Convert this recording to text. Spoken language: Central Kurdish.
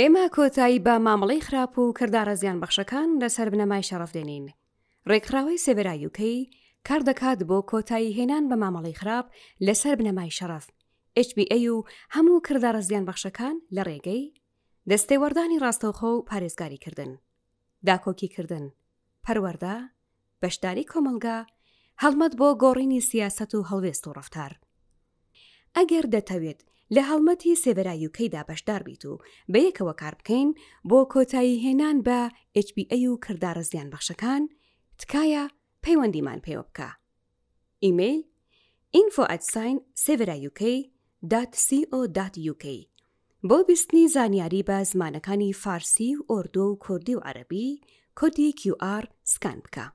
ئێمە کۆتایی بە مامەڵەی خراپ و کردارە زیانبەخشەکان لەسەر بنەمای شەڕەف دێنین. ڕێکخراوەی سێڤێرا یوکەی کاردەکات بۆ کۆتایی هێنان بە مامەڵەی خراپ لەسەر بنەمای شەڕەف، HBA، و هەموو کردارە زیانبەخشەکان لە ڕێگەی، دەستێوەردانی ڕاستەوخۆ و پارێزگاریکردن، داکۆکیکردن، پەروەردە، بەشداری کۆمەڵگا، هەڵمەت بۆ گۆڕینی سیاسەت و هەڵوێست و ڕەفتار. ئەگەر دەتەوێت لە هەڵمەتی سێڤێرا یوکەیدا بەشدار بیت و بەیەکەوە کار بکەین بۆ کۆتایی هێنان بە HBA و کردارە زیانبەخشەکان، تکایە پەیوەندیمان پێوە بکە. ئیمەیل، info at sign severauk dot co dot uk بۆ بیستنی زانیاری بە زمانەکانی فارسی و ئۆردۆ و کوردی و عەرەبی کۆدی QR سکان بکە.